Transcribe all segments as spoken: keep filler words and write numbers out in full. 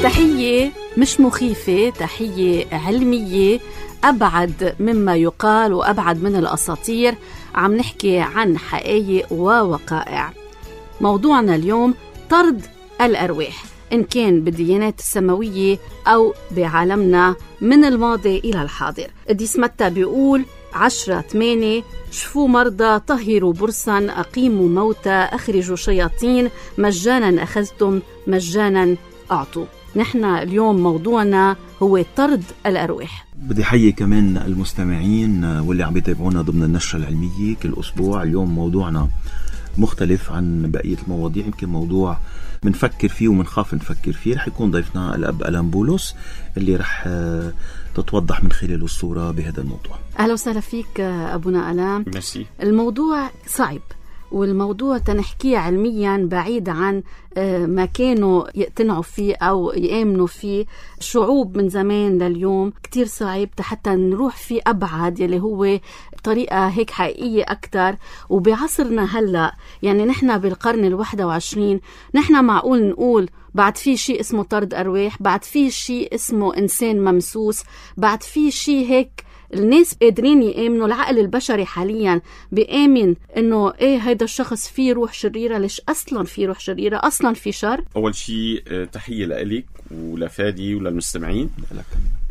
تحية مش مخيفة، تحية علمية أبعد مما يقال وأبعد من الأساطير. عم نحكي عن حقائق ووقائع. موضوعنا اليوم طرد الأرواح، إن كان بالديانات السماوية أو بعالمنا من الماضي إلى الحاضر. قديس متى بيقول عشرة ثمانية: شفوا مرضى، طهروا برصا، أقيموا موتى، أخرجوا شياطين، مجانا أخذتم مجانا أعطوا. نحن اليوم موضوعنا هو طرد الأرواح. بدي حيي كمان المستمعين واللي عم يتابعونا ضمن النشرة العلمية كل أسبوع. اليوم موضوعنا مختلف عن بقية المواضيع، يمكن موضوع منفكر فيه ومنخاف نفكر فيه. رح يكون ضيفنا الأب ألان بولس اللي رح تتوضح من خلاله الصورة بهذا الموضوع. أهلا وسهلا فيك أبونا ألان. ميرسي. الموضوع صعب، والموضوع تنحكيه علميا بعيد عن ما كانوا يقتنعوا فيه أو يآمنوا فيه شعوب من زمان لليوم. كتير صعب حتى نروح فيه أبعد، يلي هو طريقة هيك حقيقية أكتر. وبعصرنا هلأ يعني نحن بالقرن الواحد وعشرين، نحن معقول نقول بعد في شيء اسمه طرد أرواح، بعد في شيء اسمه إنسان ممسوس، بعد في شيء هيك الناس قادرين يآمنوا. العقل البشري حاليا بيآمن انه ايه هيدا الشخص فيه روح شريرة. ليش اصلا في روح شريرة؟ اصلا في شر. اول شيء تحية لك ولفادي وللمستمعين.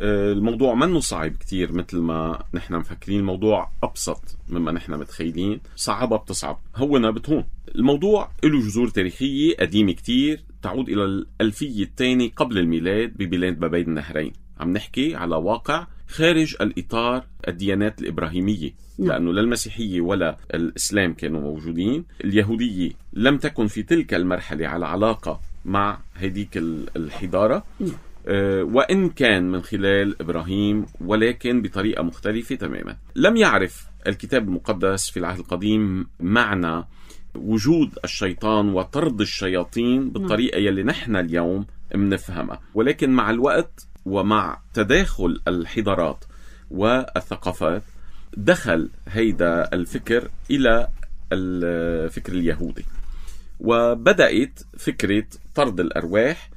الموضوع منه صعب كتير مثل ما نحن مفكرين، الموضوع ابسط مما نحن متخيلين. صعبة بتصعب، هونا بتهون. الموضوع له جذور تاريخية قديمة كتير، تعود الى الألفية الثانية قبل الميلاد ببلاد ما بين النهرين. عم نحكي على واقع خارج الإطار الديانات الإبراهيمية، لأنه لا المسيحية ولا الإسلام كانوا موجودين. اليهودية لم تكن في تلك المرحلة على علاقة مع هذيك الحضارة، أه وإن كان من خلال إبراهيم، ولكن بطريقة مختلفة تماما. لم يعرف الكتاب المقدس في العهد القديم معنى وجود الشيطان وطرد الشياطين بالطريقة يلي نحن اليوم منفهمها، ولكن مع الوقت ومع تداخل الحضارات والثقافات دخل هيدا الفكر إلى الفكر اليهودي، وبدأت فكرة طرد الأرواح.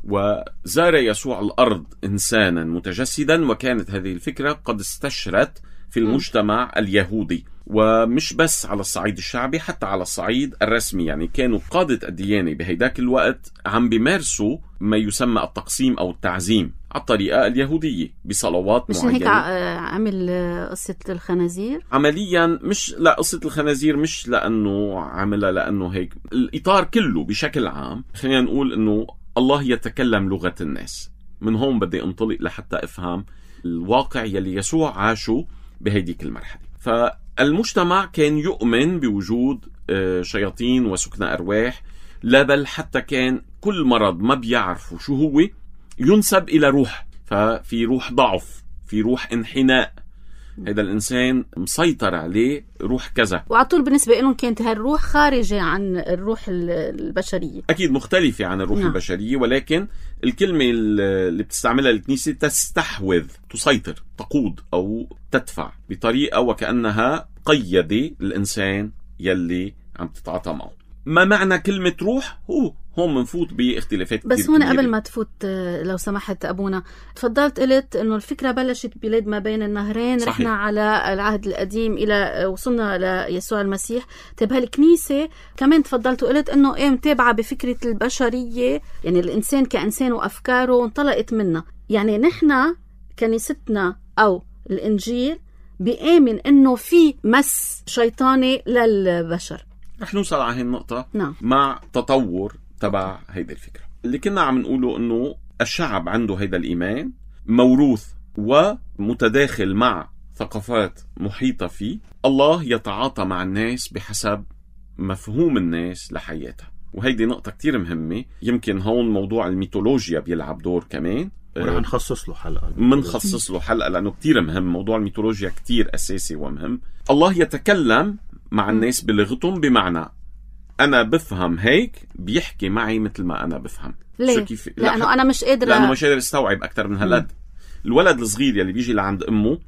وزار يسوع الأرض إنسانا متجسدا، وكانت هذه الفكرة قد استشرت في المجتمع اليهودي، ومش بس على الصعيد الشعبي، حتى على الصعيد الرسمي. يعني كانوا قادة الديانة بهيداك الوقت عم بيمارسوا ما يسمى التقسيم أو التعزيم على الطريقة اليهودية بصلوات مش معينة. مش هيك عمل قصة الخنازير عمليا؟ مش لا، قصة الخنازير مش لأنه عملها لأنه هيك. الإطار كله بشكل عام، خلينا نقول أنه الله يتكلم لغة الناس. من هون بدي انطلق لحتى أفهم الواقع يلي يسوع عاشه بهيديك المرحلة. فالمجتمع كان يؤمن بوجود شياطين وسكن أرواح، لا بل حتى كان كل مرض ما بيعرفوا شو هو ينسب إلى روح. ففي روح ضعف، في روح انحناء، هذا الإنسان مسيطر عليه روح كذا. وعطول بالنسبة لهم كانت هالروح خارجة عن الروح البشرية، أكيد مختلفة عن الروح نعم. البشرية، ولكن الكلمة اللي بتستعملها الكنيسة تستحوذ، تسيطر، تقود أو تدفع بطريقة وكأنها قيدة الإنسان يلي عم تتعاطى معه. ما معنى كلمة روح؟ هو هون منفوت باختلافات بس هون قبل ما تفوت لو سمحت أبونا، تفضلت قلت إنه الفكرة بلشت بلاد ما بين النهرين. صحيح. رحنا على العهد القديم إلى وصلنا ليسوع المسيح. طيب هالكنيسة كمان تفضلت وقلت إنه إيه متابعة بفكرة البشرية، يعني الإنسان كإنسان وأفكاره وانطلقت منها. يعني نحنا كنيستنا أو الإنجيل بيآمن إنه في مس شيطاني للبشر. رح نوصل على هاي النقطة نعم. مع تطور تبع هيدا الفكرة اللي كنا عم نقوله، انه الشعب عنده هيدا الإيمان موروث ومتداخل مع ثقافات محيطة فيه. الله يتعاطى مع الناس بحسب مفهوم الناس لحياتها، وهيدي نقطة كتير مهمة. يمكن هون موضوع الميثولوجيا بيلعب دور كمان، ورح نخصص له حلقة منخصص له حلقة لأنه كتير مهم. موضوع الميثولوجيا كتير أساسي ومهم. الله يتكلم مع الناس بلغتهم، بمعنى أنا بفهم هيك بيحكي معي مثل ما أنا بفهم. ليه؟ كيف؟ لأنه أنا مش قادر لأنه مش قادر استوعب أكتر من هالقد. الولد الصغير يلي بيجي لعند أمه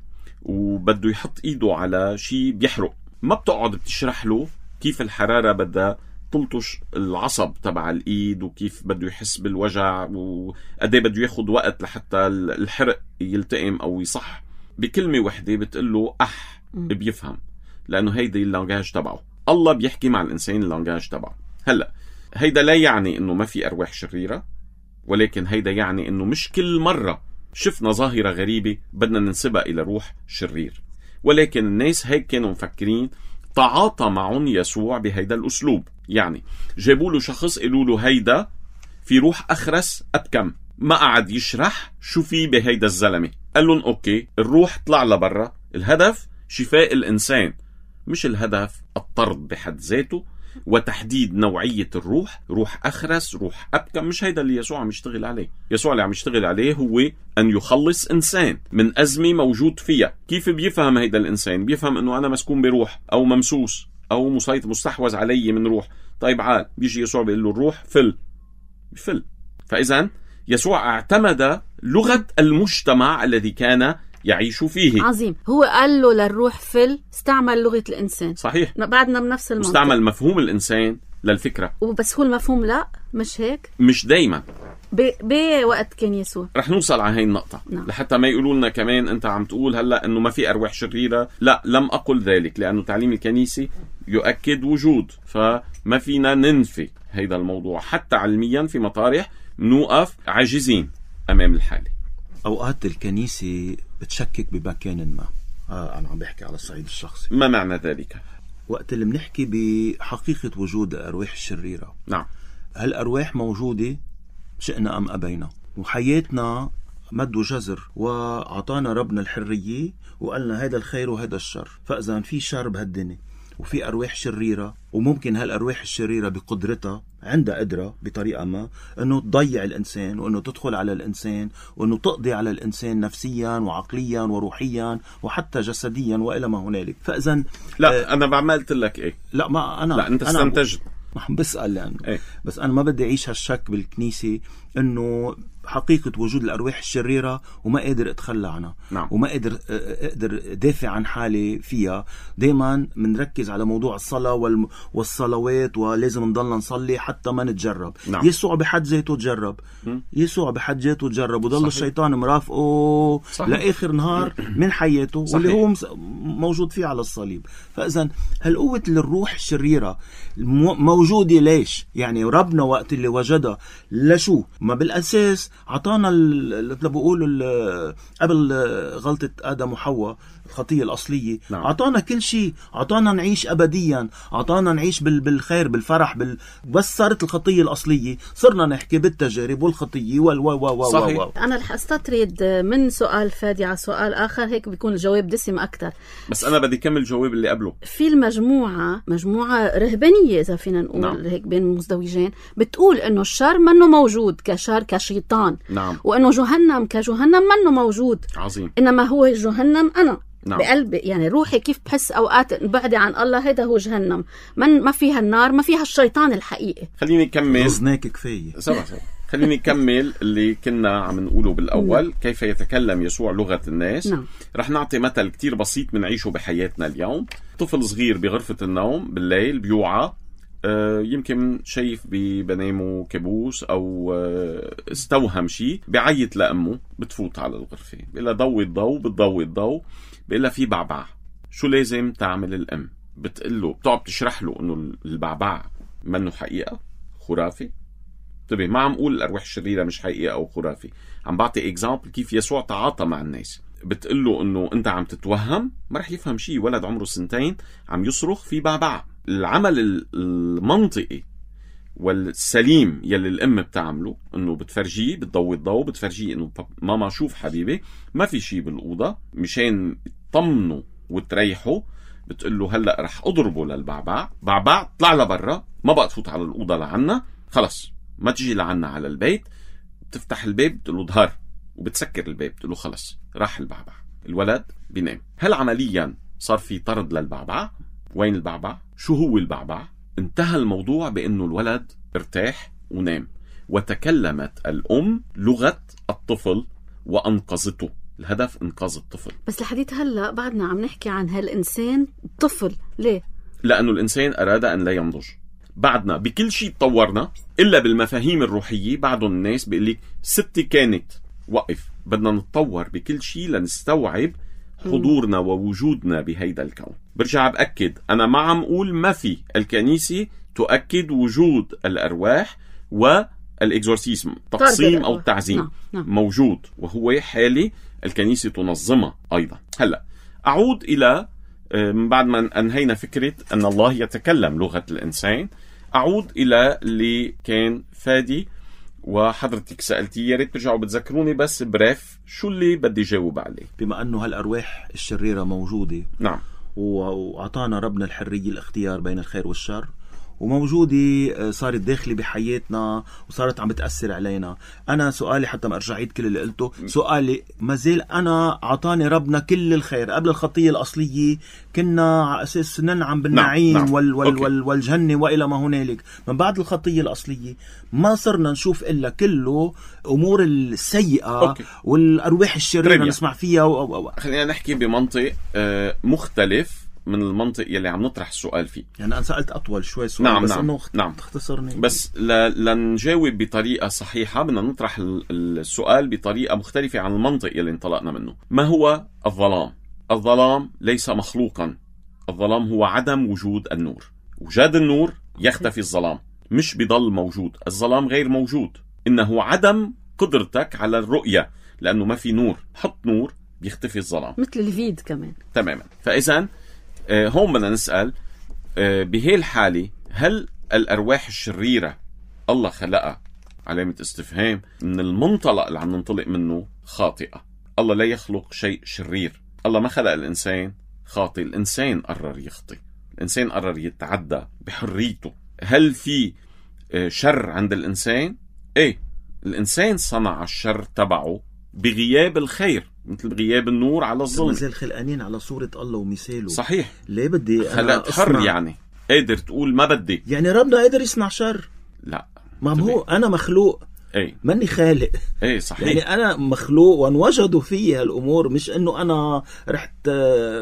وبده يحط إيده على شيء بيحرق، ما بتقعد بتشرح له كيف الحرارة بدها تلطش العصب تبع الإيد وكيف بده يحس بالوجع وقديه بده ياخد وقت لحتى الحرق يلتئم أو يصح. بكلمة وحدة بتقله أح بيفهم، لأنه هيدا اللانجاج تبعه. الله بيحكي مع الإنسان اللانجاج تبعه. هلأ هيدا لا يعني إنه ما في أرواح شريرة، ولكن هيدا يعني إنه مش كل مرة شفنا ظاهرة غريبة بدنا ننسبها إلى روح شرير. ولكن الناس هيك كانوا مفكرين. تعاطى معهم يسوع بهيدا الأسلوب، يعني جابوا له شخص قالوا له هيدا في روح أخرس أبكم، ما قعد يشرح شو في بهيدا الزلمة، قال لهم أوكي الروح طلع لبرا، الهدف شفاء الإنسان، مش الهدف الطرد بحد ذاته وتحديد نوعية الروح. روح أخرس، روح أبكم، مش هيدا اللي يسوع عم يشتغل عليه. يسوع اللي عم يشتغل عليه هو أن يخلص إنسان من أزمة موجود فيها. كيف بيفهم هيدا الإنسان؟ بيفهم أنه أنا مسكون بروح أو ممسوس أو مسيطر مستحوذ علي من روح. طيب عال بيجي يسوع بيقول له الروح فل فل. فإذن يسوع اعتمد لغة المجتمع الذي كان يعيش فيه. عظيم. هو قال له للروح فل، استعمل لغة الإنسان. صحيح. بعدنا بنفس المنطق. استعمل مفهوم الإنسان للفكرة. وبس هو المفهوم لا مش هيك. مش دايما. بوقت كان يسوع. رح نوصل على هاي النقطة. نعم. لحتى ما يقولوا لنا كمان أنت عم تقول هلأ أنه ما في أرواح شريرة. لا، لم أقل ذلك، لأنه تعليم الكنيسة يؤكد وجود، فما فينا ننفي هيدا الموضوع. حتى علميا في مطارح نوقف عاجزين أمام الحالة. أوقات الكنيسة بتشكك بمكان ما. آه أنا عم بحكي على الصعيد الشخصي. ما معنى ذلك؟ وقت اللي بنحكي بحقيقة وجود الأرواح الشريرة. نعم. هالأرواح موجودة شئنا أم أبينا، وحياتنا مد وجزر، وعطانا ربنا الحرية وقالنا هيدا الخير وهيدا الشر. فإذا في شر بهالدنيا وفي أرواح شريرة، وممكن هالأرواح الشريرة بقدرتها عندها قدرة بطريقة ما أنه تضيع الإنسان، وأنه تدخل على الإنسان، وأنه تقضي على الإنسان نفسيا وعقليا وروحيا وحتى جسديا وإلى ما هنالك. فإذن لا آه أنا بعملت لك إيه؟ لا ما أنا لا أنت استنتجت. ما عم بسأل لأنه يعني. إيه؟ بس أنا ما بدي أعيش هالشك بالكنيسة أنه حقيقة وجود الأرواح الشريرة وما قادر أتخلى عنها. نعم. وما قادر أقدر دافع عن حالي فيها. دايما منركز على موضوع الصلاة والم... والصلوات، ولازم نضلنا نصلي حتى ما نتجرب. نعم. يسوع بحد ذاته تجرب. م? يسوع بحد ذاته تجرب، وضل الشيطان مرافقه لآخر نهار من حياته. صحيح. واللي هو موجود فيه على الصليب. فإذن هالقوة للروح الشريرة موجودة ليش؟ يعني ربنا وقت اللي وجدها لشو؟ ما بالأساس عطانا اللي بقول قبل غلطة آدم وحواء الخطية الأصلية. نعم. عطانا كل شيء، عطانا نعيش أبديا، عطانا نعيش بالخير بالفرح بال... بس صارت الخطية الأصلية صرنا نحكي بالتجارب والخطية وال و و و صحيح. و. أنا رح أستطرد من سؤال فادي على سؤال آخر، هيك بيكون الجواب دسم أكتر. بس أنا بدي كمل الجواب اللي قبله. في المجموعة مجموعة رهبانية إذا فينا نقول. نعم. هيك بين المزدوجين بتقول إنه الشر منه موجود كشر كشيطان. نعم. وإنه جهنم كجهنم منه موجود. عظيم. إنما هو جهنم أنا. نعم. بقلبي يعني روحي كيف بحس أوقات بعدي عن الله هيدا هو جهنم. من ما فيها النار، ما فيها الشيطان الحقيقي. خليني أكمل. غزناك كفاية. سبع سبع. خليني أكمل اللي كنا عم نقوله بالأول. كيف يتكلم يسوع لغة الناس. نعم. رح نعطي مثل كتير بسيط منعيشه بحياتنا اليوم. طفل صغير بغرفة النوم بالليل بيوعى، آه يمكن شايف ببنامه كابوس أو آه استوهم شيء، بعيط لأمه، بتفوت على الغرفة بيقول لها ضوي الضوء، بتضوي الضوء، بيقول لها في بعبع. شو لازم تعمل الأم؟ بتقول له، بتقعد تشرح له إنه البعبع منه حقيقة، خرافي. طيب ما عم أقول الأرواح الشريرة مش حقيقة أو خرافي، عم بعطي إكزامبل كيف يسوع تعاطى مع الناس. بتقول له إنه أنت عم تتوهم، ما رح يفهم شيء. ولد عمره سنتين عم يصرخ في بعبع. العمل المنطقي والسليم يلي الأم بتعمله إنه بتفرجيه، بتضوي الضوء، بتفرجيه إنه ماما شوف حبيبي ما في شيء بالأوضة، مشان تطمنه وتريحه. بتقول له هلأ رح أضربه للبعبع، بعبع طلع لبرا، ما بقى تفوت على الأوضة لعنا، خلص ما تجي لعنا على البيت. بتفتح الباب بتقول له ظهر، وبتسكر الباب بتقول له خلص راح البعبع. الولد بينام. هل عمليا صار في طرد للبعبع؟ وين البعبع؟ شو هو البعبع؟ انتهى الموضوع بأنه الولد ارتاح ونام، وتكلمت الأم لغة الطفل وأنقذته. الهدف إنقاذ الطفل. بس لحديت هلأ بعدنا عم نحكي عن هالإنسان طفل. ليه؟ لأنه الإنسان أراد أن لا ينضج. بعدنا بكل شيء تطورنا إلا بالمفاهيم الروحية. بعضهم الناس بيقول لك ستي كانت، وقف، بدنا نتطور بكل شيء لنستوعب حضورنا ووجودنا بهيدا الكون. برجع بأكد، أنا ما عم أقول ما في، الكنيسة تؤكد وجود الأرواح والإكزورسيسم، تقسيم أو تعزيم نعم. نعم. موجود وهو حالي الكنيسة تنظمها أيضا. هلأ أعود إلى من بعد ما أنهينا فكرة أن الله يتكلم لغة الإنسان، أعود إلى اللي كان فادي وحضرتك سألتي، يا ريت ترجعوا بتذكروني بس بريف شو اللي بدي جاوب عليه. بما أنه هالأرواح الشريرة موجودة، نعم، وأعطانا ربنا الحرية الاختيار بين الخير والشر، وموجودة صارت داخلة بحياتنا وصارت عم بتأثر علينا. أنا سؤالي حتى ما أرجع عيد كل اللي قلته، سؤالي ما زال أنا عطاني ربنا كل الخير. قبل الخطية الأصلية كنا على أساس ننعم بالنعيم نعم. نعم. وال وال وال والجنة وإلى ما هنالك. من بعد الخطية الأصلية ما صرنا نشوف إلا كله أمور السيئة أوكي. والأرواح الشريرة نسمع فيها و... و... خلينا نحكي بمنطق آه مختلف من المنطق يلي عم نطرح السؤال فيه. يعني أنا سألت أطول شوي سؤال، نعم بس نعم أنه نعم. تختصرني. بس ل... لنجاوب بطريقة صحيحة بدنا نطرح السؤال بطريقة مختلفة عن المنطق يلي انطلقنا منه. ما هو الظلام؟ الظلام ليس مخلوقا، الظلام هو عدم وجود النور. وجاد النور يختفي الظلام، مش بضل موجود. الظلام غير موجود، إنه عدم قدرتك على الرؤية، لأنه ما في نور. حط نور بيختفي الظلام، مثل الفيد كمان تماما. فإذن آه هون بدنا نسأل آه بهي الحالة، هل الأرواح الشريرة الله خلقها؟ علامة استفهام. من المنطلق اللي عم ننطلق منه خاطئة. الله لا يخلق شيء شرير. الله ما خلق الإنسان خاطئ، الإنسان قرر يخطئ، الإنسان قرر يتعدى بحريته. هل في آه شر عند الإنسان؟ إيه، الإنسان صنع الشر تبعه بغياب الخير، مثل غياب النور على الظلم. مازال خلقانين على صورة الله ومثاله. صحيح. ليه بدي أنا خلق حر؟ يعني قادر تقول ما بدي، يعني ربنا قادر يصنع شر؟ لا، ما هو أنا مخلوق، ايه ماني خالق. ايه صحيح. يعني أنا مخلوق وانوجدوا فيه هالأمور، مش إنه أنا رحت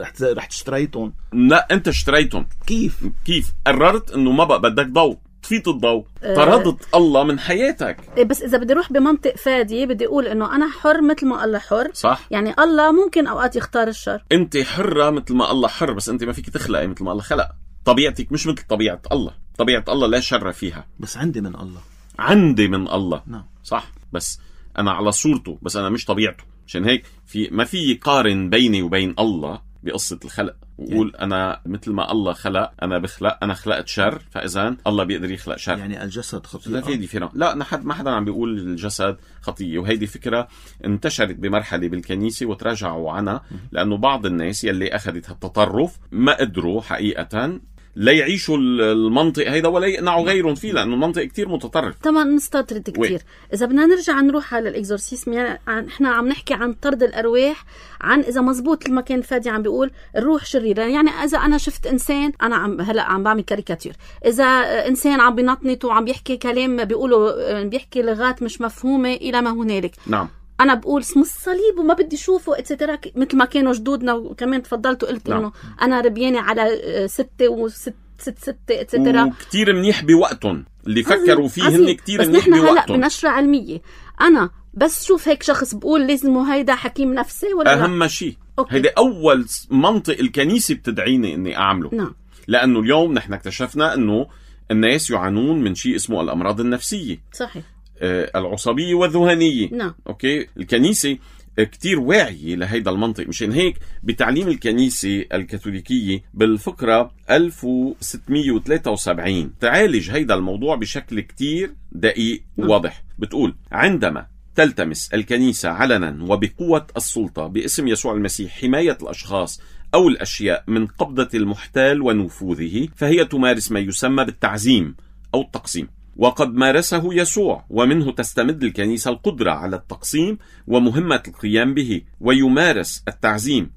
رحت رحت اشتريتهم. لا، أنت اشتريتهم. كيف؟ كيف قررت إنه ما بقى بدك ضوء، طفيت الضوء، طردت أه الله من حياتك. إيه، بس إذا بدي أروح بمنطق فادي بدي أقول إنه أنا حر مثل ما الله حر. صح. يعني الله ممكن أوقات يختار الشر. أنت حرة مثل ما الله حر، بس أنت ما فيك تخلقي مثل ما الله خلق. طبيعتك مش مثل طبيعة الله. طبيعة الله لا شر فيها. بس عندي من الله. عندي من الله. نعم. صح، بس أنا على صورته، بس أنا مش طبيعته. عشان هيك في ما في قارن بيني وبين الله بقصة الخلق وقول يعني أنا مثل ما الله خلق أنا بخلق، أنا خلقت شر، فإذا الله بيقدر يخلق شر. يعني الجسد خطيئة. لا في دي فينا. لا، نحد ما حدا عم بيقول الجسد خطية، وهيدي فكرة انتشرت بمرحلة بالكنيسة وتراجعوا عنها، لأنه بعض الناس يلي أخذت هالتطرف ما قدروا حقيقة لا يعيشوا المنطق هيدا ولا يقنعوا غيرهم فيه، لأنه المنطق كتير متطرف. طبعا نستطرد كتير. إذا بدنا نرجع نروح على الإكزورسيسم، يعني إحنا عم نحكي عن طرد الأرواح، عن إذا مزبوط لما كان فادي عم بيقول الروح شريرة. يعني إذا أنا شفت إنسان، أنا عم هلأ عم بعمل كاريكاتير، إذا إنسان عم بينطنط وعم بيحكي كلام بيقولوا بيحكي لغات مش مفهومة إلى ما هنالك، نعم، أنا بقول اسمه الصليب وما بدي شوفه اتسترا، مثل ما كانوا جدودنا. وكمان تفضلت وقلت نعم. إنه أنا ربياني على ستة وست ست ستة اتسترا، وكتير منيح بوقتهم اللي فكروا فيه هن كتير منيح بوقتهم. بس نحن هلأ بنشرة علمية، أنا بس شوف هيك شخص بقول لازم هيدا حكيم نفسي ولا أهم شيء. هيدا أول منطق الكنيسة بتدعيني إني أعمله. نعم. لأنه اليوم نحن اكتشفنا إنه الناس يعانون من شيء اسمه الأمراض النفسية. صحيح. آه العصبية والذهنية. نعم. أوكي، الكنيسة كتير واعية لهيدا المنطق. مشان هيك بتعليم الكنيسة الكاثوليكية بالفقرة ألف وستمية وثلاثة وسبعين تعالج هيدا الموضوع بشكل كتير دقيق وواضح. بتقول: عندما تلتمس الكنيسة علنا وبقوة السلطة باسم يسوع المسيح حماية الأشخاص أو الأشياء من قبضة المحتال ونفوذه، فهي تمارس ما يسمى بالتعزيم أو التقسيم، وقد مارسه يسوع، ومنه تستمد الكنيسة القدرة على التقسيم ومهمة القيام به. ويمارس التعزيم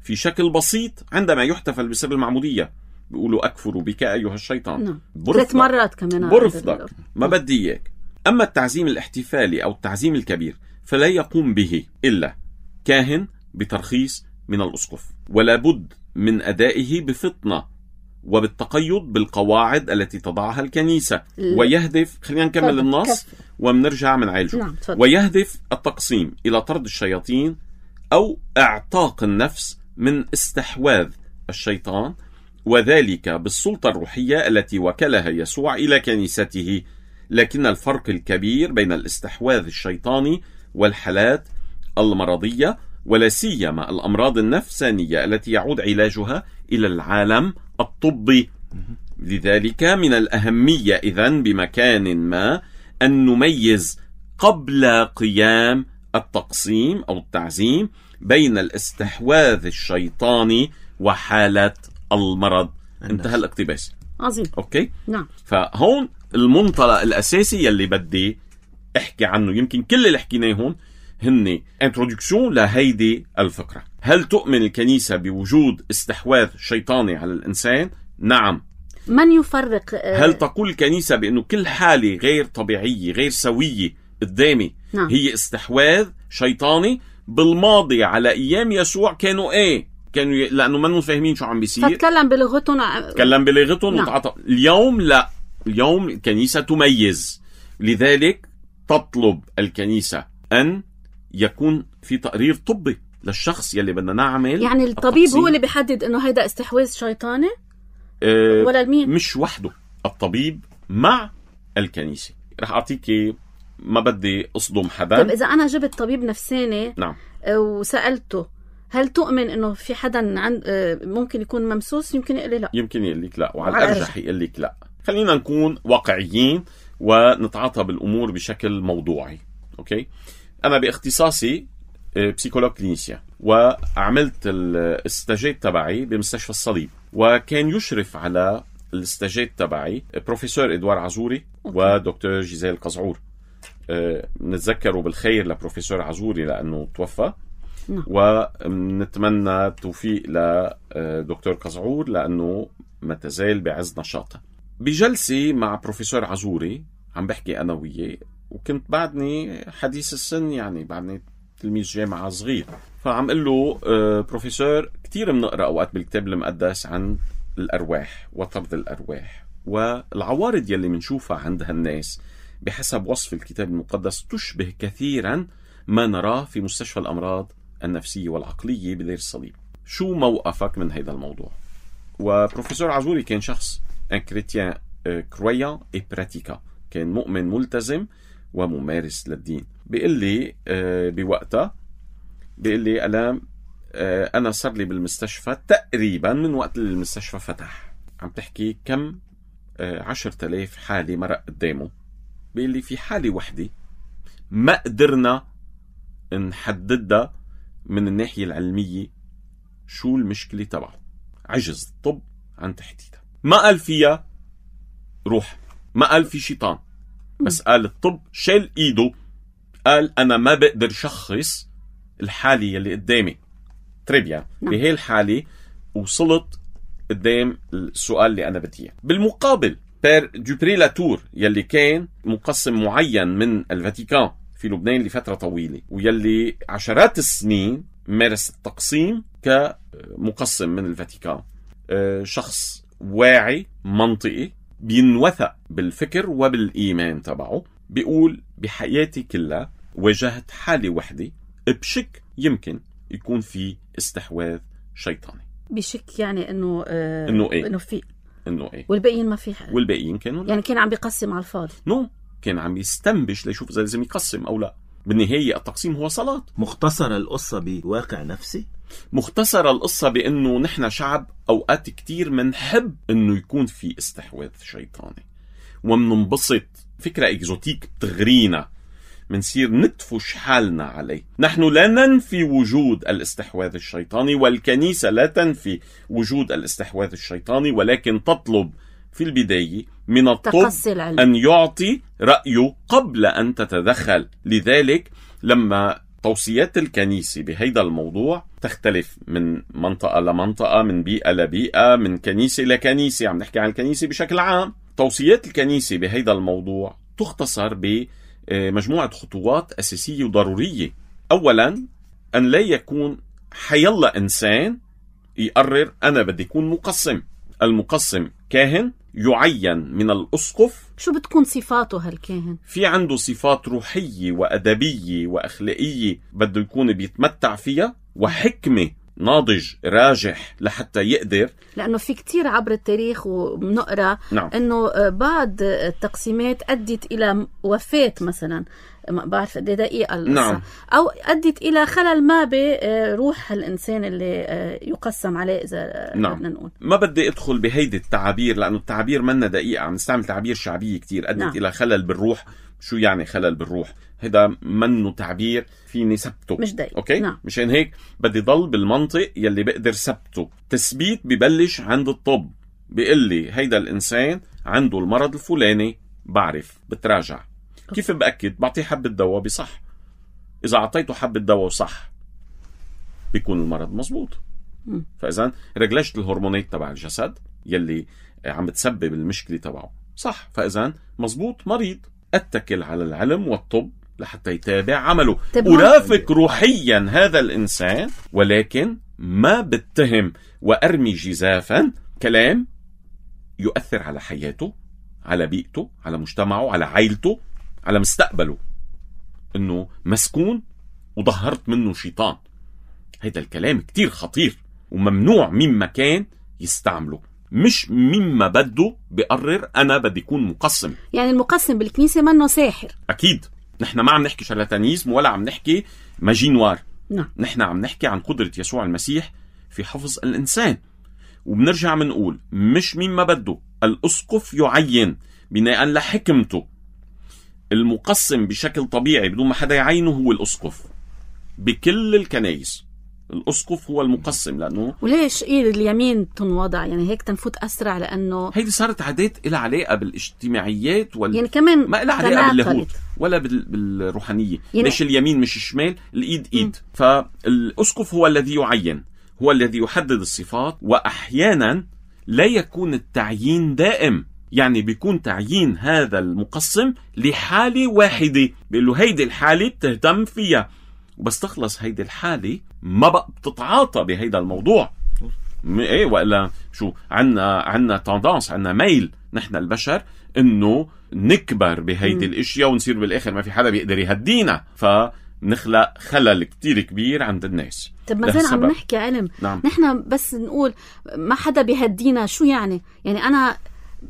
في شكل بسيط عندما يحتفل بسر المعمودية. بيقولوا: أكفر بك أيها الشيطان. ثلاث مرات كمان. برفضك، ما بدي إياك. أما التعزيم الاحتفالي أو التعزيم الكبير فلا يقوم به إلا كاهن بترخيص من الأسقف، ولا بد من أدائه بفطنة وبالتقيد بالقواعد التي تضعها الكنيسة. ويهدف، خلينا نكمل النص ومنرجع من عالجه. نعم. ويهدف التقسيم إلى طرد الشياطين أو اعتاق النفس من استحواذ الشيطان، وذلك بالسلطة الروحية التي وكلها يسوع إلى كنيسته. لكن الفرق الكبير بين الاستحواذ الشيطاني والحالات المرضية، ولا سيما الأمراض النفسانية التي يعود علاجها إلى العالم الطبي. لذلك من الأهمية إذن بمكان ما أن نميز قبل قيام التقسيم أو التعزيم بين الاستحواذ الشيطاني وحالة المرض. انتهى الاقتباس. عظيم. أوكي؟ نعم. فهون المنطلق الأساسي يلي بدي احكي عنه، يمكن كل اللي حكيناه هون هن انترودكسيون لهيدي الفكرة. هل تؤمن الكنيسة بوجود استحواذ شيطاني على الإنسان؟ نعم. من يفرق؟ هل تقول الكنيسة بأنه كل حالة غير طبيعية غير سوية قدامي نعم. هي استحواذ شيطاني؟ بالماضي على أيام يسوع كانوا ايه؟ كانوا ي... لأنه ما فاهمين شو عم بيصير، فتكلم بلغتهم تكلم بلغتهم نعم. وتعطى. اليوم لا، اليوم الكنيسة تميز. لذلك تطلب الكنيسة أن يكون في تقرير طبي للشخص يلي بدنا نعمل. يعني الطبيب التقسيم. هو اللي بيحدد انه هيدا استحواذ شيطاني أه ولا المين؟ مش وحده، الطبيب مع الكنيسة. رح أعطيك، ما بدي أصدم حدا. طيب إذا أنا جبت طبيب نفساني نعم. وسألته هل تؤمن انه في حدا عند ممكن يكون ممسوس؟ يمكن يقول لي لا. يمكن يقول لك لا، وعلى الأرجح يقول لك لا. خلينا نكون واقعيين ونتعاطى بالأمور بشكل موضوعي. أوكي، أنا باختصاصي بسيكولوج كلينيسيا، وعملت الاستاجات تبعي بمستشفى الصليب، وكان يشرف على الاستاجات تبعي بروفيسور إدوار عزوري ودكتور جيزيل قزعور. نتذكروا بالخير لبروفيسور عزوري لأنه توفى، ونتمنى التوفيق لدكتور قزعور لأنه ما تزال بعز نشاطه. بجلسي مع بروفيسور عزوري عم بحكي أنا وياه، وكنت بعدني حديث السن، يعني بعدني تلميذ جامعة صغير، فعم قل له بروفيسور كتير بنقرأ أوقات بالكتاب المقدس عن الأرواح وطرد الأرواح، والعوارض يلي منشوفها عند هالناس بحسب وصف الكتاب المقدس تشبه كثيرا ما نراه في مستشفى الأمراض النفسية والعقلية بدير الصليب. شو موقفك من هذا الموضوع؟ وبروفيسور عزوري كان شخص un chrétien croyant et pratiquant، كان مؤمن ملتزم وممارس للدين. بيقول لي بوقتها، بيقول لي ألام أنا صار لي بالمستشفى تقريبا من وقت المستشفى فتح، عم تحكي كم عشرة آلاف حالة مرق قدامه. بيقول لي في حالة وحدة ما قدرنا نحددها من الناحية العلمية شو المشكلة تبعه، عجز الطب عن تحديدها. ما قال فيها روح، ما قال في شيطان، بس قال الطب شال ايده، قال انا ما بقدر شخص الحالة يلي قدامي. تريبيا بهي الحالة وصلت قدام السؤال اللي انا بديه. بالمقابل بير دوبري لاتور يلي كان مقسم معين من الفاتيكان في لبنان لفترة طويلة، ويلي عشرات السنين مارس التقسيم كمقسم من الفاتيكان، شخص واعي منطقي بينوثق بالفكر وبالإيمان تبعه، بيقول بحياتي كلها واجهت حالة وحدة بشك يمكن يكون في استحواذ شيطاني. بشك يعني انه آه انه ايه انه في انه ايه والباقيين ما في حاجة. والباقيين كانوا لا. يعني كان عم بيقسم على الفاضي. نو no. كان عم يستنبش ليشوف اذا لازم يقسم او لا. بالنهاية التقسيم هو صلاة. مختصر القصة بواقع نفسي، مختصر القصة بأنه نحن شعب أوقات كتير منحب أنه يكون في استحواذ شيطاني ومننبسط، فكرة إكزوتيك بتغرينا، منصير نتفش حالنا عليه. نحن لا ننفي وجود الاستحواذ الشيطاني، والكنيسة لا تنفي وجود الاستحواذ الشيطاني، ولكن تطلب في البداية من الطب أن يعطي رأيه قبل أن تتدخل. لذلك لما توصيات الكنيسة بهيدا الموضوع تختلف من منطقة لمنطقة، من بيئة لبيئة، من كنيسة لكنيسة، عم نحكي عن الكنيسة بشكل عام. توصيات الكنيسة بهيدا الموضوع تختصر بمجموعة خطوات أساسية وضرورية. أولا، أن لا يكون حيلا إنسان يقرر أنا بدي يكون مقسم المقسم كاهن يعين من الأسقف. شو بتكون صفاته هالكاهن؟ في عنده صفات روحية وأدبية وأخلاقية بده يكون بيتمتع فيها، وحكمة، ناضج راجح لحتى يقدر. لأنه في كتير عبر التاريخ وبنقرأ نعم. أنه بعض التقسيمات أدت إلى وفاة مثلا، ما بعرف قد ايه دقيقة القصة، نعم. أو أدت إلى خلل ما بروح الإنسان اللي يقسم عليه إذا نعم. بدنا نقول. ما بدي أدخل بهيدي التعابير لأنه التعابير منا دقيقة، عم نستعمل تعابير شعبية كتير. أدت نعم. إلى خلل بالروح. شو يعني خلل بالروح؟ هذا منه تعبير فيني سبته، مش دقيق. أوكي؟ نعم. مشان هيك بدي ضل بالمنطق يلي بقدر سبته. تثبيت ببلش عند الطب، بيقول لي هيدا الإنسان عنده المرض الفلاني، بعرف بتراجع. كيف بأكد؟ بعطيه حبة دواء بصح. إذا عطيته حبة دواء صح بيكون المرض مزبوط. م. فإذا رجلجت الهرمونات تبع الجسد يلي عم تسبب المشكلة تبعه صح، فإذا مزبوط مريض. أتكل على العلم والطب لحتى يتابع عمله. أرافق روحيا هذا الإنسان، ولكن ما بتهم وأرمي جزافا كلام يؤثر على حياته، على بيئته، على مجتمعه، على عائلته، على مستقبله، انه مسكون وظهرت منه شيطان. هيدا الكلام كتير خطير وممنوع مما كان يستعمله، مش مما بده بقرر انا بدي يكون مقسم. يعني المقسم بالكنيسة منه ساحر. اكيد نحن ما عم نحكي شارلاتانيزم ولا عم نحكي ماجي نوار. نعم. نحن عم نحكي عن قدرة يسوع المسيح في حفظ الانسان. وبنرجع منقول مش مما بده. الاسقف يعين بناء لحكمته. المقسم بشكل طبيعي بدون ما حدا يعينه هو الأسقف بكل الكنائس. الأسقف هو المقسم. لأنه وليش إيه اليمين تنوضع؟ يعني هيك تنفوت أسرع، لأنه هيدي صارت عادات إلها علاقة بالاجتماعيات وال... يعني كمان ما إلها علاقة باللاهوت ولا بال... بالروحانية. يعني ليش اليمين مش الشمال؟ الإيد إيد. م. فالأسقف هو الذي يعين، هو الذي يحدد الصفات، وأحيانا لا يكون التعيين دائم. يعني بيكون تعيين هذا المقسم لحالة واحدة، بيقول له هيدي الحالة بتهتم فيها، وبس تخلص هيدي الحالة ما بقى بتتعاطى بهيدا الموضوع. ايه وإلا شو عنا عنا تندانس، عنا ميل نحن البشر انه نكبر بهيدي الاشياء ونصير بالاخر ما في حدا بيقدر يهدينا، فنخلق خلل كتير كبير عند الناس. طب ما زين عم نحكي علم. نعم. نحن بس نقول ما حدا بيهدينا، شو يعني؟ يعني انا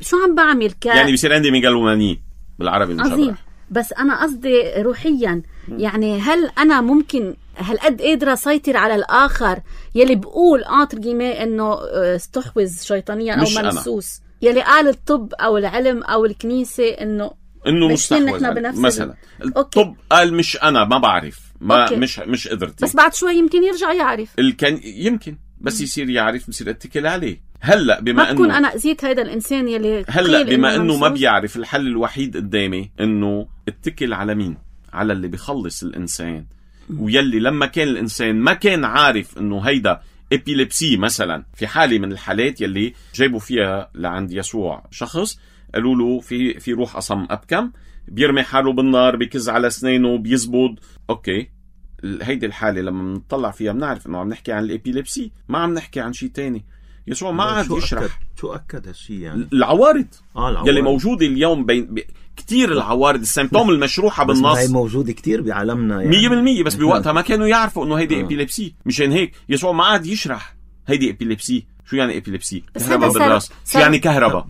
شو عم بعمل ك يعني بيصير عندي ميغالومانية بالعربي عظيم. بس انا قصدي روحيا، يعني هل انا ممكن هل قد قادرة اسيطر على الاخر يلي بقول انتر جيمي انه استحوذ شيطانيا او منسوس، يلي قال الطب او العلم او الكنيسة انه انه مستحوذ مثلا. الطب قال مش انا ما بعرف، ما أوكي. مش مش قدرتي، بس بعد شوي يمكن يرجع يعرف. الكن يمكن بس يصير يعرف، بصير اتكل عليه. هلا بما ما بكون انا اذيت هيدا الانسان يلي هلا بما انه ما بيعرف، الحل الوحيد قدامي انه اتكل على مين؟ على اللي بيخلص الانسان. ويلي لما كان الانسان ما كان عارف انه هيدا ابيليبسي مثلا، في حالة من الحالات يلي جايبوا فيها لعند يسوع شخص قالوا له في في روح أصم أبكم، بيرمي حاله بالنار، بيكز على اسنانه، بيزبط. اوكي، هيدي الحالة لما نطلع فيها بنعرف انه عم نحكي عن الابيليبسي، ما عم نحكي عن شيء تاني. يسوع ما عاد يشرح أكد. شو أكد هالشيء يعني؟ العوارض آه العوارض يلي موجودة اليوم بين ب... كتير العوارض السيمبتوم المشروحة بالنص هي موجودة كتير بعالمنا يعني مية بالمية، بس بوقتها ما كانوا يعرفوا انه هيدي ابيليبسي. مشان هيك يسوع ما عاد يشرح هيدي ابيليبسي. شو يعني ابيليبسي؟ كهرباء بالراس. شو يعني كهرباء؟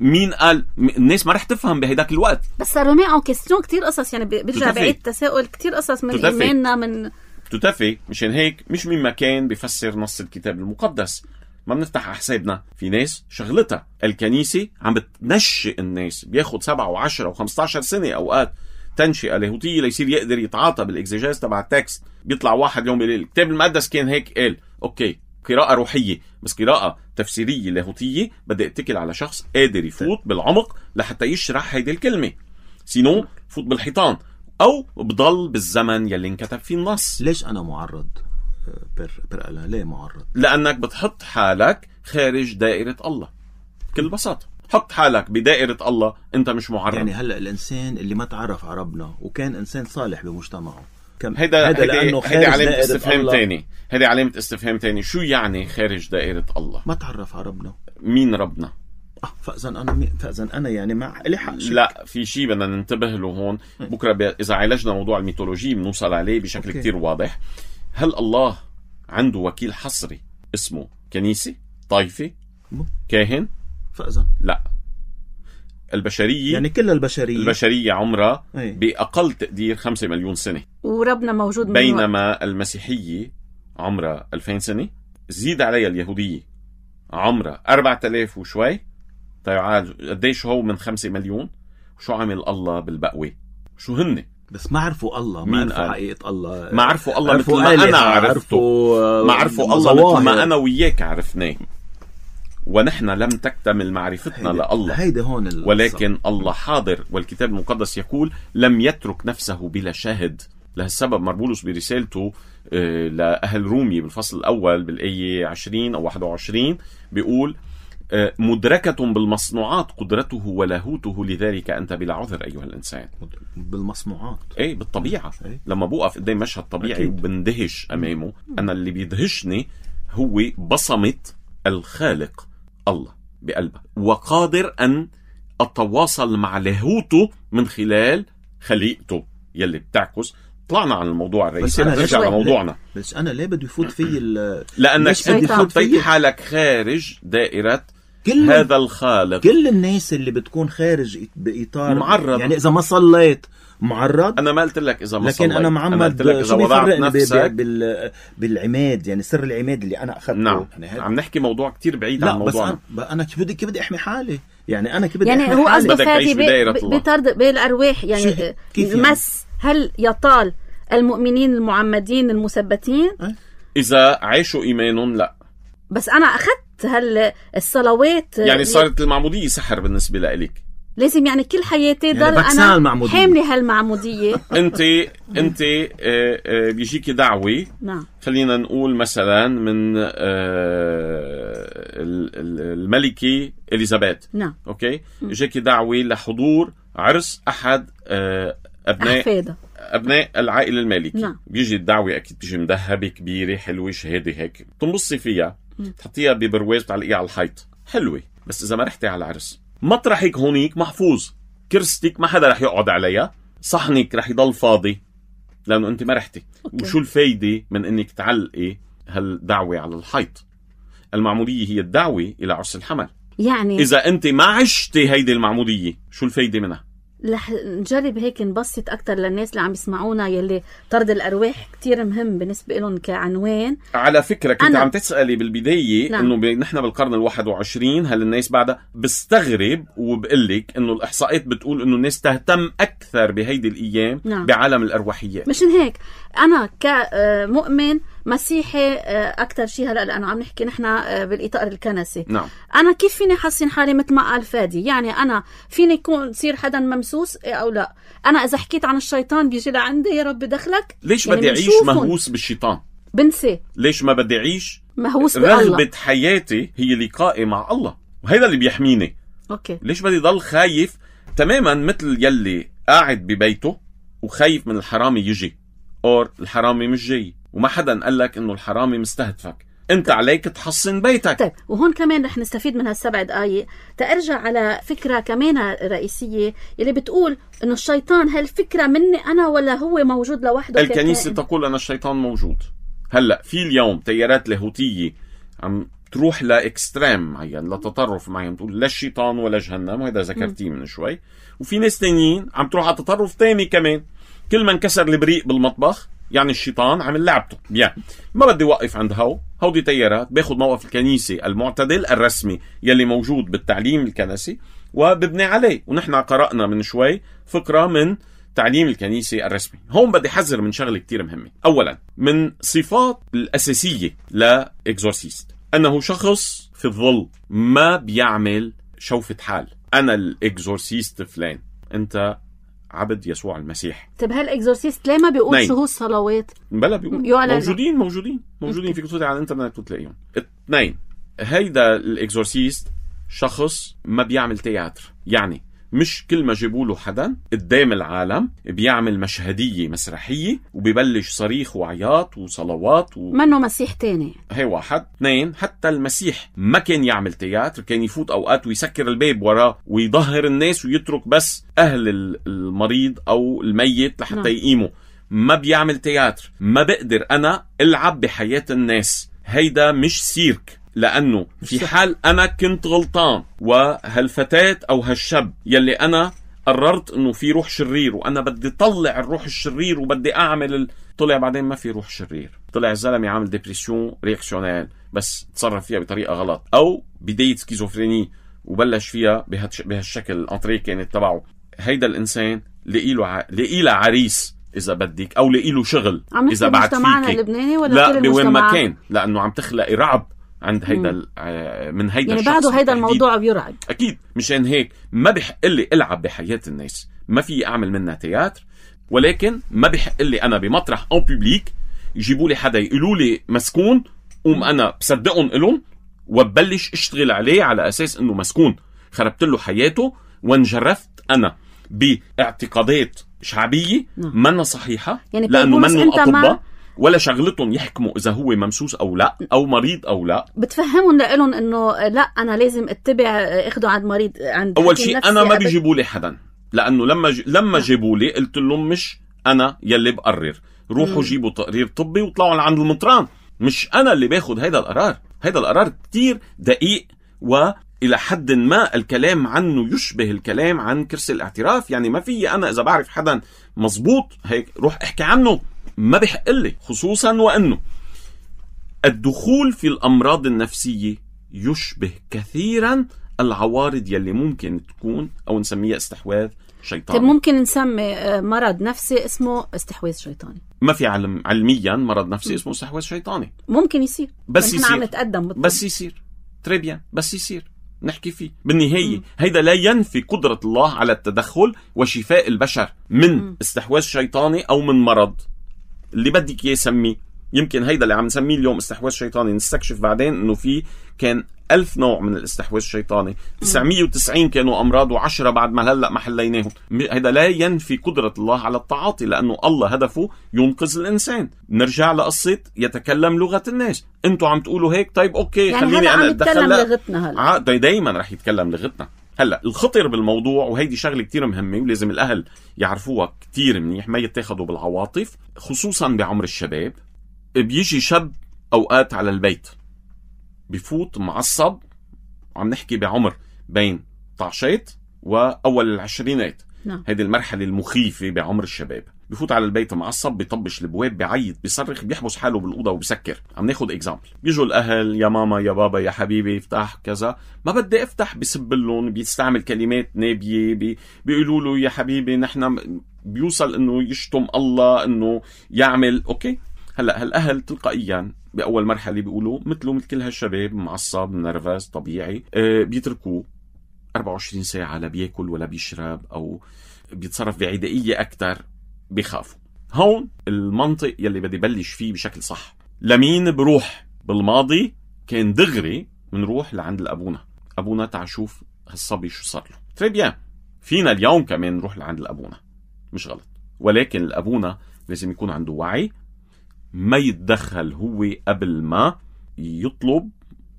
مين قال؟ الناس ما رح تفهم بهيداك الوقت. بس صاروا معه كيستيون كتير قصص، يعني بيرجع بعيد تساؤل كتير قصص من إيماننا من تتفي. مشان هيك مش من مكان بيفسر نص الكتاب المقدس ما بنفتح حسابنا. في ناس شغلتها الكنيسة عم بتنشئ الناس، بياخد سبعة وعشرة وخمسة عشر سنة أوقات تنشئة لاهوتية ليصير يقدر يتعاطى بالإكزيجاز تبع التكست. بيطلع واحد يوم بيقول الكتاب المقدس كان هيك قال. أوكي، قراءة روحية، بس قراءة تفسيرية لاهوتية بدي اتكل على شخص قادر يفوت بالعمق لحتى يشرح هيدي الكلمة، سينو فوت بالحيطان أو بضل بالزمن يلي انكتب فيه النص. ليش أنا معرض بر برقلة؟ ليه معرض؟ لأنك بتحط حالك خارج دائرة الله بكل بساطة. حط حالك بدائرة الله، أنت مش معرض. يعني هلأ الإنسان اللي ما تعرف على ربنا وكان إنسان صالح بمجتمعه هيدا هيدا هيدا علامة استفهام تاني هيدا علامة استفهام تاني شو يعني خارج دائرة الله؟ ما تعرف على ربنا. مين ربنا؟ اه فاذا انا مي... فاذا انا يعني مع لي حق. لا في شيء بدنا ننتبه له هون. بكره ب... اذا عالجنا موضوع الميثولوجي بنوصل عليه بشكل كتير واضح. هل الله عنده وكيل حصري اسمه كنيسة، طائفة، كاهن؟ فاذا لا، البشرية يعني كل البشرية البشرية عمرها بأقل تقدير خمسة مليون سنة، وربنا موجود من بينما وقت. المسيحية عمرها ألفين سنة، زيد عليها اليهودية عمرها أربعة آلاف وشوي. طيب قديش هو من خمسة مليون؟ شو عمل الله بالبقوة؟ شو هن؟ بس ما عرفوا الله، ما عرفوا حقيقة الله، ما عرفوا الله مثل ما أنا عرفته، ما عرفوا الله مثل ما أنا وياك عرفناه، ونحن لم تكتمل معرفتنا لله. هيدا هون ولكن الله حاضر، والكتاب المقدس يقول لم يترك نفسه بلا شاهد. لهالسبب مربولوس برسالته لأهل رومي بالفصل الأول بالآية عشرين أو واحد وعشرين بيقول مدركة بالمصنوعات قدرته ولاهوته، لذلك أنت بلا عذر أيها الإنسان. بالمصنوعات أي بالطبيعة. أي. لما بوقف قدام مشهد طبيعي وبندهش أمامه، أنا اللي بيدهشني هو بصمة الخالق الله بقلبه، وقادر أن أتواصل مع لاهوته من خلال خليقته يلي بتعكس. طلعنا عن الموضوع الرئيسي، نرجع لموضوعنا. بس أنا ليه بدي يفوت في لأنك أنت حطيت حالك خارج دائرة كل هذا الخالق. كل الناس اللي بتكون خارج بإطار معرض، يعني إذا ما صليت معرض. أنا ما قلت لك إذا ما لكن صليت، أنا معمد أنا شو بيفرقني بال... بالعماد، يعني سر العماد اللي أنا أخذته. نعم. يعني عم نحكي موضوع كتير بعيد عن موضوعنا. بس أنا, أنا كيف بدي كيف بدي أحمي حالي؟ يعني أنا كيف بدي يعني أحمي هو حالي؟ قصده فادي بطرد بالأرواح، يعني المس. هل يطال المؤمنين المعمدين المثبتين إذا عاشوا إيمانهم؟ لا. بس أنا أخذت هل الصلوات يعني صارت المعمودية سحر بالنسبة لإلك؟ لازم يعني كل حياتي ضل يعني أنا حاملة هالمعمودية. أنت أنت بيجيكي دعوة. نعم. خلينا نقول مثلا من الملكة إليزابيث. نعم. أوكي. يجيكي دعوة لحضور عرس أحد أبناء أحفاده. أبناء العائلة المالكي. نعم. بيجي الدعوة أكيد بيجي مذهبة كبيرة حلوة شهادة هيك، تنبصي فيها تحطيها ببرواز وتعلقيها على الحيط، حلوة. بس إذا ما رحتي على العرس، مطرحك هونيك محفوظ، كرستك ما حدا رح يقعد عليها، صحنك رح يضل فاضي لأنه أنت ما رحتي. أوكي. وشو الفايدة من إنك تعلقي هالدعوة على الحيط؟ المعمودية هي الدعوة إلى عرس الحمل. يعني إذا أنت ما عشتي هيدي المعمودية، شو الفايدة منها؟ رح نجرب هيك نبسط أكتر للناس اللي عم يسمعونا، يلي طرد الأرواح كتير مهم بالنسبة لهم كعنوان. على فكرة كنت عم تسألي بالبداية. نعم. إنه نحن بالقرن الواحد وعشرين هل الناس بعدها؟ بستغرب وبقلك إنه الإحصائيات بتقول إنه الناس تهتم أكثر بهيدي الأيام. نعم. بعالم الأرواحيات. مشان هيك أنا كمؤمن مسيحي أكتر شيء هلأ لأنه عم نحكي نحن بالإطار الكنسي. نعم. أنا كيف فيني حسن حالي مثل ما قال فادي؟ يعني أنا فيني يكون صير حدا ممسوس أو لا؟ أنا إذا حكيت عن الشيطان بيجي لعندي يا رب دخلك. ليش يعني بدي أعيش مهووس بالشيطان؟ بنسي. ليش ما بدي أعيش مهووس بالله؟ رغبة حياتي هي لقائي مع الله، وهذا اللي بيحميني. أوكي. ليش بدي ضل خايف تماما مثل يلي قاعد ببيته وخايف من الحرامي يجي، أو الحرامي مش جاي، وما حدا قال لك إنه الحرامي مستهدفك، أنت عليك تحصن بيتك. طيب، وهون كمان رح نستفيد من هالسبع دقايق تأرجع على فكرة كمان رئيسية اللي بتقول إنه الشيطان هالفكرة مني أنا ولا هو موجود لوحده؟ الكنيسة تقول أن الشيطان موجود. هلأ في اليوم تيارات لاهوتية عم تروح لإكستريم معين، لتطرف معين، تقول لا الشيطان ولا جهنم، وهذا ذكرتيه من شوي. وفي ناس تانيين عم تروح على تطرف تاني كمان، كل ما انكسر البريق بالمطبخ يعني الشيطان عمل لعبته. بيان ما بدي وقف عند هاو هودي تيارات، باخد موقف الكنيسة المعتدل الرسمي يلي موجود بالتعليم الكنسي وببني عليه. ونحن قرأنا من شوي فكرة من تعليم الكنيسة الرسمي. هون بدي حذر من شغلة كتير مهمة. أولا، من صفات الأساسية لإكزورسيست أنه شخص في الظل، ما بيعمل شوفة حال أنا الإكزورسيست فلان، أنت عبد يسوع المسيح. طب هالإكزورسيست ليه ما بيقول شو هو الصلوات؟ بلا بيقول موجودين موجودين موجودين في كتب على الانترنت وتلاقيهم. اثنين، هيدا الإكزورسيست شخص ما بيعمل تياتر، يعني مش كل ما جيبوا له حدا قدام العالم بيعمل مشهدية مسرحية وبيبلش صريخ وعياط وصلوات و... منه مسيح تاني. هي واحد. اثنين، حتى المسيح ما كان يعمل تياتر، كان يفوت أوقات ويسكر الباب وراه ويظهر الناس ويترك بس أهل المريض أو الميت لحتى نعم. يقيموا. ما بيعمل تياتر. ما بقدر أنا ألعب بحياة الناس. هيدا مش سيرك، لأنه في حال أنا كنت غلطان وهالفتاة أو هالشاب يلي أنا قررت أنه في روح شرير وأنا بدي طلع الروح الشرير وبدي أعمل ال... طلع بعدين ما في روح شرير، طلع الزلمة عامل ديبريسيون رياكسيونيل بس تصرف فيها بطريقة غلط، أو بداية سكيزوفريني وبلش فيها بهالش... بهالشكل الانطريه كانت تبعه. هيدا الإنسان لقيله ع... لقيله عريس إذا بدك، أو لقيله شغل إذا بعد فيك. لا بوين ما كان، لأنه عم تخلق رعب عند هيدا من هيدا يعني الشخص. بعده هيدا الموضوع بيرعب أكيد. مشان هيك ما بيحق لي ألعب بحياة الناس، ما في أعمل منها تياتر، ولكن ما بيحق لي أنا بمطرح أو بيبليك يجيبوا لي حدا يقولوا لي مسكون قوم أنا بصدقهم إلهم وببلش اشتغل عليه على أساس إنه مسكون. خربت له حياته وانجرفت أنا باعتقادات شعبية منا صحيحة، يعني لأنه منهم أطباء ولا شغلتهم يحكموا إذا هو ممسوس أو لا أو مريض أو لا. بتفهمون لهم إنه لا أنا لازم اتبع اخده عند مريض عند أول شيء أنا ما بيجيبوا لي حدا، لأنه لما ج... لما جيبوا لي قلت لهم مش أنا يلي بقرر، روحوا جيبوا تقرير طبي وطلعوا عند المطران، مش أنا اللي باخد هيدا القرار. هيدا القرار كتير دقيق، وإلى حد ما الكلام عنه يشبه الكلام عن كرسي الاعتراف. يعني ما في أنا إذا بعرف حدا مزبوط هيك روح احكي عنه، ما بيحق لي، خصوصا وأنه الدخول في الأمراض النفسية يشبه كثيرا العوارض يلي ممكن تكون أو نسميها استحواذ شيطاني. ممكن نسمي مرض نفسي اسمه استحواذ شيطاني. ما في علم علميا مرض نفسي اسمه استحواذ شيطاني. ممكن يصير بس يصير. عم نتقدم بالطب. بس يصير تريبيان بس يصير نحكي فيه. بالنهاية م. هيدا لا ينفي قدرة الله على التدخل وشفاء البشر من م. استحواذ شيطاني أو من مرض اللي بدك يسميه. يمكن هيدا اللي عم نسميه اليوم استحواذ شيطاني نستكشف بعدين انه في كان ألف نوع من الاستحواذ الشيطاني، تسعمية وتسعين كانوا أمراض وعشرة بعد ما هلأ ما حليناهم. هيدا لا ينفي قدرة الله على التعاطي، لأنه الله هدفه ينقذ الإنسان. نرجع لقصة يتكلم لغة الناس. انتوا عم تقولوا هيك، طيب أوكي يعني خليني أنا أتدخل. لغتنا هلأ دا دايما رح يتكلم لغتنا. هلأ الخطر بالموضوع، وهيدي شغلة كتير مهمة ولازم الأهل يعرفوها كتير منيح، ما يتاخدوا بالعواطف، خصوصا بعمر الشباب. بيجي شاب أوقات على البيت بفوت معصب، وعم نحكي بعمر بين طعشات وأول العشرينات. نعم. هذه المرحلة المخيفة بعمر الشباب. بفوت على البيت معصب، بيطبش البواب، بيعيط، بيصرخ، بيحبس حاله بالأوضة وبيسكر. عم ناخد إكزامبل. بيجوا الأهل، يا ماما يا بابا يا حبيبي افتح كذا، ما بدي افتح، بيسبلون، بيستعمل كلمات نابية، بي... بيقولوا له يا حبيبي نحن، بيوصل انه يشتم الله، انه يعمل اوكي. هلا هالاهل تلقائيا باول مرحله بيقولوا مثله مثل كل هالشباب، معصب نرفز طبيعي، أه بيتركوه أربعة وعشرين ساعه لا بياكل ولا بيشرب او بيتصرف بعدائيه اكثر، بيخافوا. هون المنطق يلي بدي بلش فيه بشكل صح. لمين بروح؟ بالماضي كان دغري منروح لعند الابونا، ابونا تعال شوف هالصبي شو صار له. تري بيان، فينا اليوم كمان نروح لعند الابونا، مش غلط، ولكن الابونا لازم يكون عنده وعي، ما يتدخل هو قبل ما يطلب،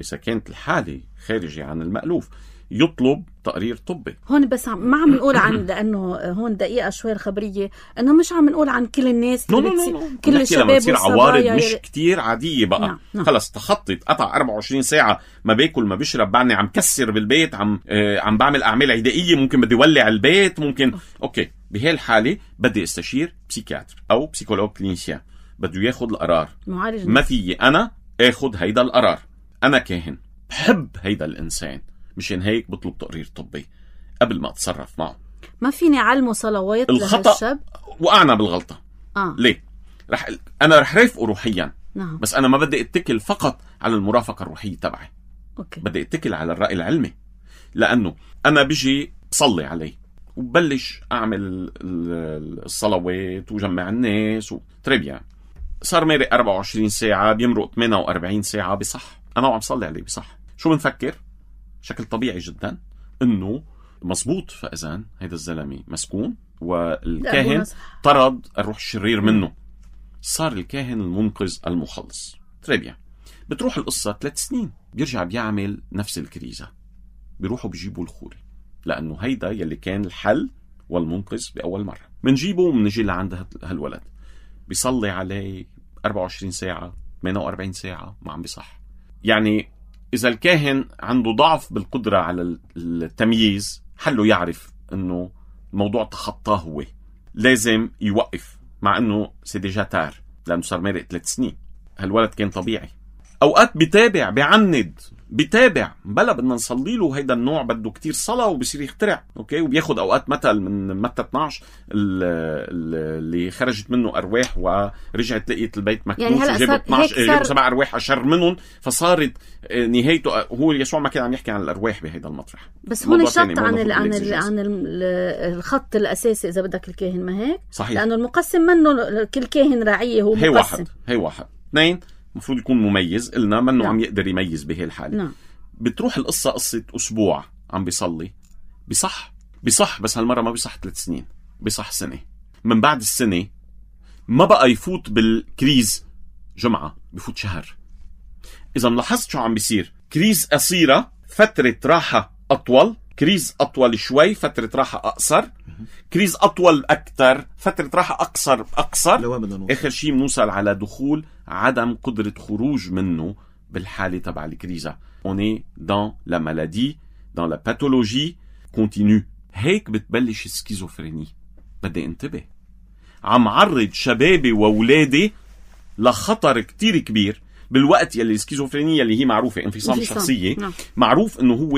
إذا كانت الحالة خارجة عن المألوف، يطلب تقرير طبي. هون بس ما عم نقول عن، لأنه هون دقيقة شوي الخبرية، أنه مش عم نقول عن كل الناس، نو نو نو. كل الشباب تصير عوارض مش يلي... كتير عادية بقى. نعم. نعم. خلص تخطط، قطع أربعة وعشرين ساعة ما باكل ما بشرب، بعدني عم كسر بالبيت، عم آه عم بعمل أعمال عدائية، ممكن بدي ولع البيت، ممكن أوكي. بهالحالة بدي استشير بسيكياتر أو بسيكولوج كلينيسيان، بده ياخد القرار. معالج. ما في أنا اخد هيدا القرار، أنا كاهن بحب هيدا الإنسان، مشان هيك بطلب تقرير طبي قبل ما أتصرف معه. ما فيني علمه صلوات الخطأ لهالشاب. وقعنا بالغلطة. آه. ليه؟ رح أنا رح رافقه روحيا. نعم. بس أنا ما بدي أتكل فقط على المرافقة الروحية تبعي. أوكي. بدي أتكل على الرأي العلمي، لأنه أنا بيجي بصلي عليه وبلش أعمل الصلوات وجمع الناس وتريبيان، صار مارق أربعة وعشرين ساعة، بيمرق ثمانية وأربعين ساعة، بصح أنا وعم صلي عليه بصح. شو بنفكر؟ شكل طبيعي جدا إنه مزبوط. فإذن هيدا الزلمة مسكون والكاهن طرد الروح الشرير منه، صار الكاهن المنقذ المخلص. تريبيا. بتروح القصة ثلاث سنين بيرجع بيعمل نفس الكريزة، بيروحوا بيجيبوا الخوري، لأنه هيدا يلي كان الحل والمنقذ بأول مرة. منجيبه ومنجي لعند هالولد، بيصلي عليه أربعة وعشرين ساعة ثمانية وأربعين ساعة ما عم بيصح. يعني إذا الكاهن عنده ضعف بالقدرة على التمييز، حله يعرف أنه الموضوع تخطاه، هو لازم يوقف، مع أنه سيديجا تار لأنه صار مارق ثلاث سنين. هالولد كان طبيعي. أوقات بيتابع بيعند بيتابع بلا بدنا نصلي له. هيدا النوع بده كتير صلاة وبصير يخترع. أوكي. وبياخد أوقات مثل من متى اثناشر اللي خرجت منه أرواح ورجعت لقيت البيت مكنوس، يعني وجابوا اثناشر جابوا سبع أرواح أشر منهم، فصارت نهايته. هو يسوع ما كان عم يحكي عن الأرواح بهيدا المطرح. بس هون شط عن ال عن ال عن الخط الأساسي إذا بدك الكاهن، ما هيك؟ صحيح. لأنه المقسم منه كل كاهن راعيه هو مقسم. هي واحد هي واحد اثنين المفروض يكون مميز، قلنا منه عم يقدر يميز بهي الحالة. نعم. بتروح القصة قصة أسبوع عم بيصلي، بصح بصح بس هالمرة ما بصح ثلاث سنين، بصح سنة. من بعد السنة ما بقى يفوت بالكريز جمعة، بيفوت شهر. إذا ملاحظت شو عم بيصير، كريز قصيرة فترة راحة أطول، كريز أطول شوي فترة راحة أقصر، كريز أطول أكتر فترة راحة أقصر أقصر. آخر شيء بنوصل على دخول عدم قدرة خروج منه بالحالة تبع الكريزة. On est dans la maladie, dans la pathologie continue. هيك بتبلش السكيزوفريني. بدي انتبه، عم عرض شبابي وولادي لخطر كتير كبير بالوقت يلي السكيزوفرينية اللي هي معروفة انفصام شخصية. نعم. معروف انه هو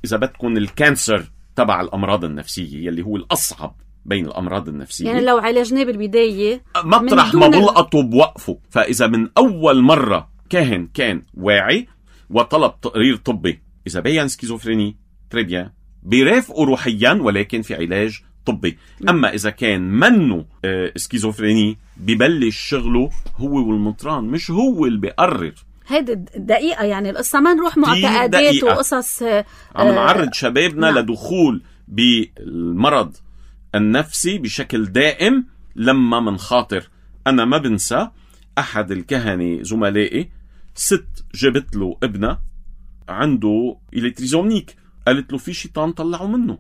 اذا بدكم الكانسر تبع الامراض النفسية يلي هو الاصعب بين الامراض النفسية. يعني لو عالجناه بالبداية مطرح ما بلقطوا بوقفوا. فاذا من اول مرة كاهن كان واعي وطلب تقرير طبي، إذا بيان سكيزوفريني تريبيا بيرافقوا روحيا ولكن في علاج طبي. أما إذا كان منه آه سكيزوفريني ببلش شغله هو والمطران، مش هو اللي بيقرر. هيدا دقيقة، يعني القصة ما نروح معتقدات وقصص. آه عم نعرض شبابنا نعم. لدخول بالمرض النفسي بشكل دائم لما من خاطر. أنا ما بنسى أحد الكهنة زملائي، ست جابت له ابنه عنده إلكتريزومنيك، قالت له في شيطان طلعوا منه.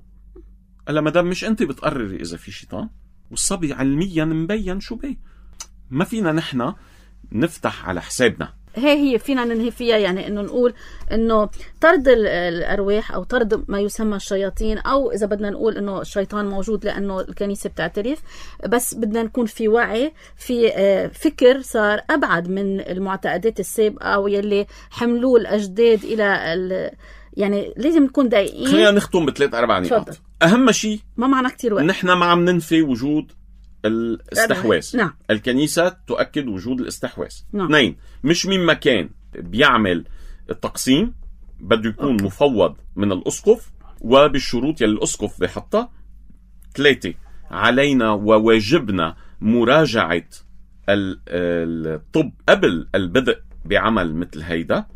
قال لها مدام مش أنت بتقرري إذا في شيطان، والصبي علميا مبين شو بيه. ما فينا نحن نفتح على حسابنا. هي هي فينا ننهي فيها، يعني انه نقول انه طرد الارواح او طرد ما يسمى الشياطين، او اذا بدنا نقول انه الشيطان موجود لانه الكنيسه بتعترف، بس بدنا نكون في وعي، في فكر صار ابعد من المعتقدات السابقه او يلي حملوه الاجداد الى يعني لازم نكون دقيقين. خلينا نختم بثلاث اربع نقاط. اهم شيء ما معنا كتير وقت، نحن ما عم ننفي وجود الاستحواذ. نعم. الكنيسة تؤكد وجود الاستحواذ. نعم. اثنين، مش من مكان بيعمل التقسيم بده يكون أوكي. مفوض من الأسقف وبالشروط يلي الأسقف بحطها. ثلاثة، علينا وواجبنا مراجعة الطب قبل البدء بعمل مثل هيدا.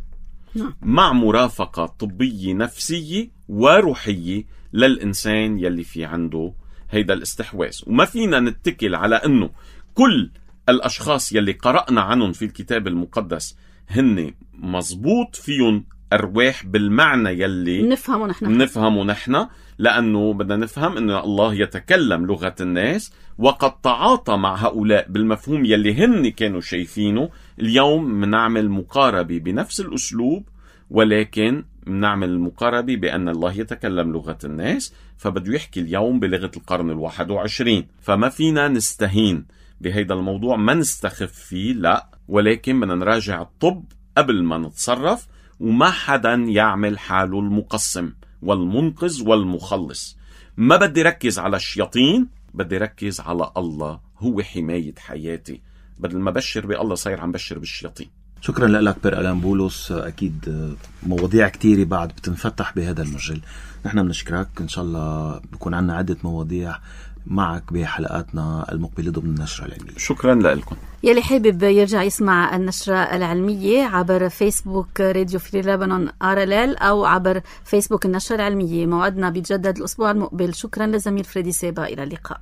نعم. مع مرافقة طبية نفسية وروحية للإنسان يلي في عنده هيدا الاستحواذ. وما فينا نتكل على أنه كل الأشخاص يلي قرأنا عنهم في الكتاب المقدس هن مزبوط فيهم أرواح بالمعنى يلي نفهمه نحن نفهمه نحن لأنه بدنا نفهم أن الله يتكلم لغة الناس وقد تعاطى مع هؤلاء بالمفهوم يلي هن كانوا شايفينه. اليوم منعمل مقاربة بنفس الأسلوب، ولكن منعمل مقاربة بأن الله يتكلم لغة الناس، فبده يحكي اليوم بلغة القرن الواحد وعشرين. فما فينا نستهين بهيدا الموضوع، ما نستخف فيه، لا، ولكن بدنا نراجع الطب قبل ما نتصرف، وما حدا يعمل حاله المقسم والمنقذ والمخلص. ما بدي ركز على الشياطين، بدي ركز على الله، هو حماية حياتي. بدل ما بشر بالله صاير عم بشر بالشياطين. شكرا لك بير ألان بولس، أكيد مواضيع كتيرة بعد بتنفتح بهذا المجال. نحن بنشكرك، إن شاء الله بكون عنا عدة مواضيع معك بحلقاتنا المقبلة ضمن النشرة العلمية. شكرا لكم. يلي حابب يرجع يسمع النشرة العلمية عبر فيسبوك راديو فري لبنان آر إل إل أو عبر فيسبوك النشرة العلمية. موعدنا بيتجدد الأسبوع المقبل. شكرا لزميل فريدي سابا، إلى اللقاء.